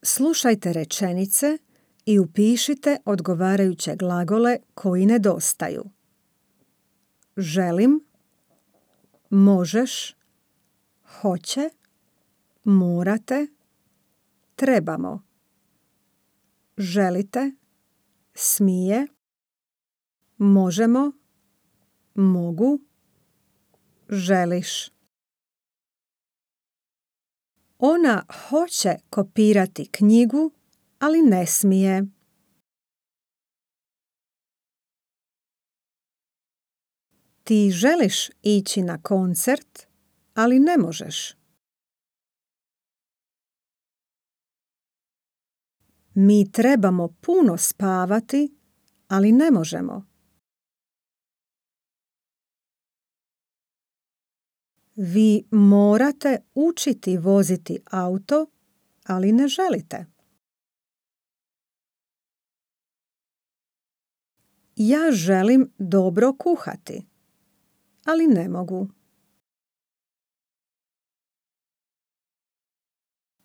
Slušajte rečenice i upišite odgovarajuće glagole koji nedostaju. Želim, možeš, hoće, morate, trebamo. Želite, smije, možemo, mogu, želiš. Ona hoće kopirati knjigu, ali ne smije. Ti želiš ići na koncert, ali ne možeš. Mi trebamo puno spavati, ali ne možemo. Vi morate učiti voziti auto, ali ne želite. Ja želim dobro kuhati, ali ne mogu.